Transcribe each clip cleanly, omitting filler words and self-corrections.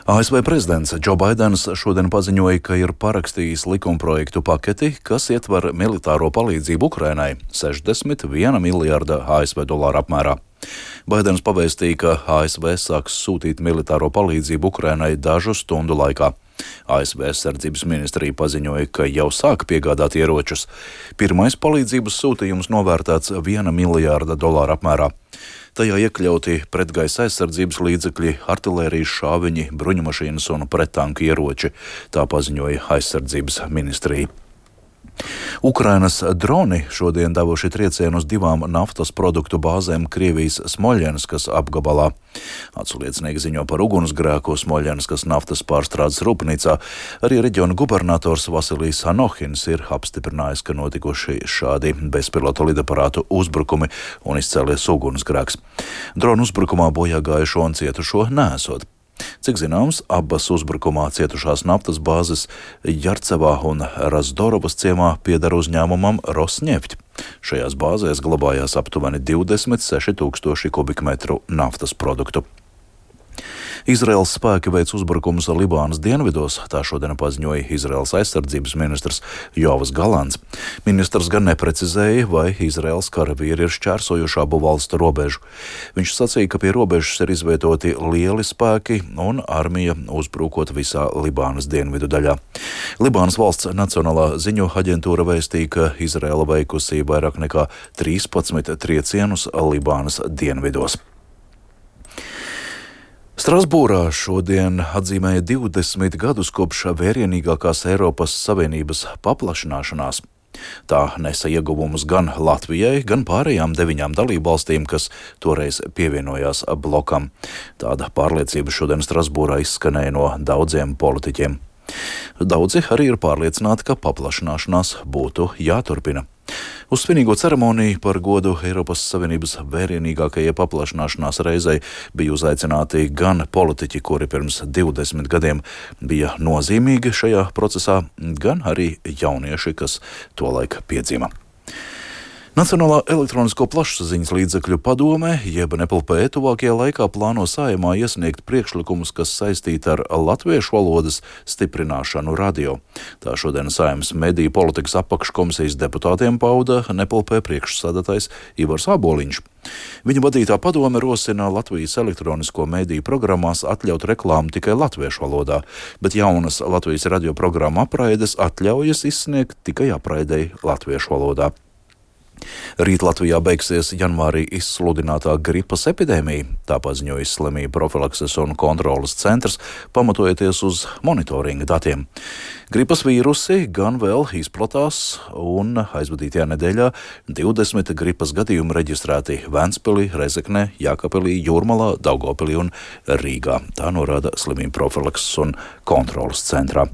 ASV prezidents Džo Baidens šodien paziņoja, ka ir parakstījis likumprojektu paketi, kas ietver militāro palīdzību Ukrainai - 61 miljārda ASV dolāru apmērā. Baidens pavēstīja, ka ASV sāks sūtīt militāro palīdzību Ukrainai dažu stundu laikā. ASV aizsardzības ministrija paziņoja, ka jau sāk piegādāt ieročus. Pirmais palīdzības sūtījums novērtēts 1 miljārda dolāru apmērā. Tajā iekļauti pretgaisa aizsardzības līdzekļi, artilērijas šāviņi, bruņumašīnas un prettanku ieroči, tā paziņoja aizsardzības ministrija. Ukrainas droni šodien devuši triecienu uz 2 naftas produktu bāzēm Krievijas Smoļenskas apgabalā. Atsliecinieki ziņo par ugunsgrēku Smoļenskas naftas pārstrādes rūpnīcā. Arī reģiona gubernators Vasilijs Anohins ir apstiprinājis, ka notikuši šādi bezpilota lidaparātu uzbrukumi un izcēlies ugunsgrēks. Dronu uzbrukumā bojā gājušo un cietušo neesot. Cik zināms, abas uzbrukumā cietušās naftas bāzes Jarcevā un Razdorovas ciemā pieder uzņēmumam Rosneft. Šajās bāzēs glabājās aptuveni 26 000 kubikmetru naftas produktu. Izraēlas spēki veic uzbrukumus Libānas dienvidos, tā šodien paziņoja Izraēlas aizsardzības ministrs Joavs Galants. Ministrs gan neprecizēja, vai Izraēlas karavīri ir šķērsojuši abu valstu robežu. Viņš sacīja, ka pie robežas ir izvietoti lieli spēki un armija uzbrukot visā Libānas dienvidu daļā. Libānas valsts nacionālā ziņu aģentūra vēstīja, ka Izraēla veikusi vairāk nekā 13 triecienus Libānas dienvidos. Strasbūrā šodien atzīmēja 20 gadus kopš vērienīgākās Eiropas Savienības paplašināšanās. Tā nesa ieguvumus gan Latvijai, gan pārējām 9 dalībvalstīm, kas toreiz pievienojās blokam. Tāda pārliecība šodien Strasbūrā izskanēja no daudziem politiķiem. Daudzi arī ir pārliecināti, ka paplašināšanās būtu jāturpina. Uz svinīgo ceremoniju par godu Eiropas Savienības vērienīgākajai paplašināšanās reizei bija uzaicināti gan politiķi, kuri pirms 20 gadiem bija nozīmīgi šajā procesā, gan arī jaunieši, kas tolaik piedzima. Nacionālā elektronisko plašsaziņas līdzekļu padome, jeb NPLP, tuvākajā laikā plāno Saeimā iesniegt priekšlikumus, kas saistīti ar latviešu valodas stiprināšanu radio. Tā šodien Saeimas mediju politikas apakškomisijas deputātiem pauda NPLP priekšsēdētājs Ivars Āboliņš. Viņa vadītā padome rosina Latvijas elektronisko mediju programmās atļaut reklāmu tikai latviešu valodā, bet jaunas Latvijas radio programmu apraides atļaujas izsniegt tikai apraidei latviešu valodā. Rīt Latvijā beigsies janvārī izsludinātā gripas epidēmija, tā paziņoja Slimību profilakses un kontroles centrs, pamatojoties uz monitoringa datiem. Gripas vīrusi gan vēl izplatās, un aizvadītajā nedēļā 20 gripas gadījumi reģistrēti Ventspilī, Rezeknē, Jākapilī, Jūrmalā, Daugavpilī un Rīgā. Tā norāda Slimību profilakses un kontroles centrā.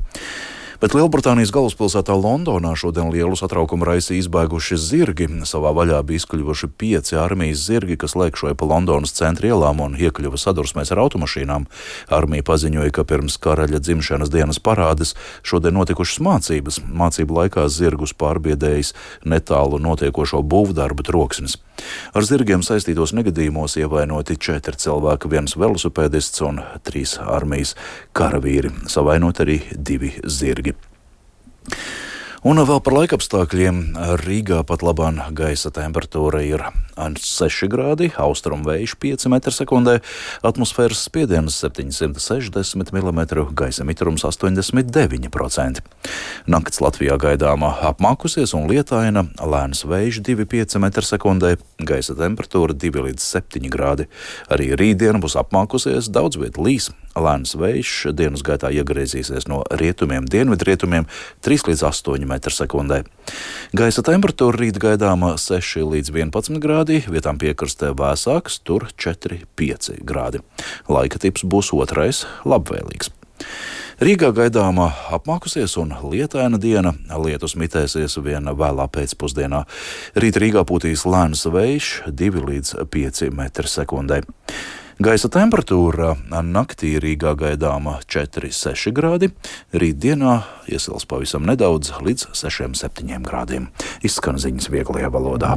Bet Lielbritānijas galvaspilsētā Londonā šodien lielu satraukumu raisīja izbēguši zirgi. Savā vaļā bija izkļuvuši 5 armijas zirgi, kas lēkšoja pa Londonas centra ielām un iekļuva sadursmēs ar automašīnām. Armija paziņoja, ka pirms karaļa dzimšanas dienas parādes šodien notikušas mācības. Mācību laikā zirgus pārbiedējis netālu notiekošo būvdarbu troksnis. Ar zirgiem saistītos negadījumos ievainoti 4 cilvēki, 1 velosipēdists un 3 armijas karavīri. Savainot arī 2 zirgi. Un vēl par laikapstākļiem. Rīgā pat labāk gaisa temperatūra ir 6 grādi, austrumu vējš 5 m/sekundē, atmosfēras spiediens 760 mm, gaisa mitrums 89%. Nakts Latvijā gaidāmā apmākusies un lietaina, lēns vējš 2,5 m/sekundē, gaisa temperatūra 2 līdz 7 grādi. Arī rītdiena būs apmākusies, daudz viet līs, lēns vējš dienas gaitā iegriezīsies no rietumiem, dienvidrietumiem 3 līdz 8 m/sekundē. Gaisa temperatūra rīt gaidāma 6 līdz 11 grādi, vietām piekrastē vēsāks, tur 4,5 grādi. Laika tips būs otrais, labvēlīgs. Rīgā gaidāma apmākusies un lietaina diena, lietus mitēsies vien vēlā pēcpusdienā. Rīt Rīgā pūtīs lēns vējš 2 līdz 5 m/sekundē. Gaisa temperatūra naktī Rīgā gaidāma 4,6 grādi, rītdienā iesils pavisam nedaudz līdz 6,7 grādiem. Izskan ziņas vieglajā valodā.